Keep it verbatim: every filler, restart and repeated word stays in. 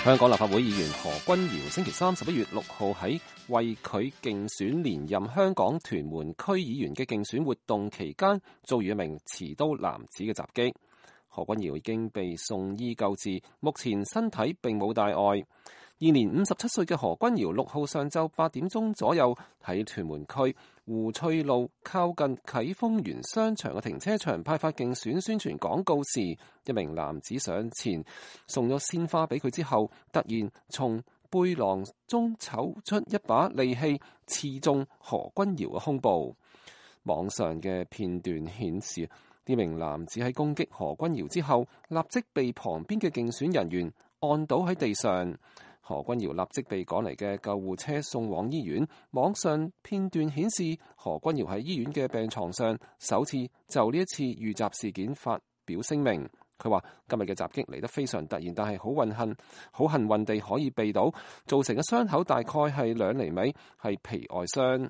香港立法會議員何君堯星期三十一月六號喺為佢競選連任香港屯門區議員嘅競選活動期間，遭遇一名持刀男子嘅襲擊。何君堯已經被送醫救治，目前身體並冇大礙。現年五十七歲嘅何君堯六號上晝八點鐘左右喺屯門區湖翠路靠近啟豐園商場嘅停車場派發競選宣傳廣告時，一名男子上前送咗鮮花俾佢之後，突然從背囊中抽出一把利器，刺中何君堯嘅胸部。網上嘅片段顯示，呢名男子喺攻擊何君堯之後，立即被旁邊嘅競選人員按倒喺地上。何君堯立即被趕嚟嘅救護車送往醫院。網上片段顯示，何君堯喺醫院嘅病床上首次就呢一次遇襲事件發表聲明。佢話今日嘅襲擊嚟得非常突然，但係好運幸好幸運地可以避到，造成嘅傷口大概係兩厘米，係皮外傷。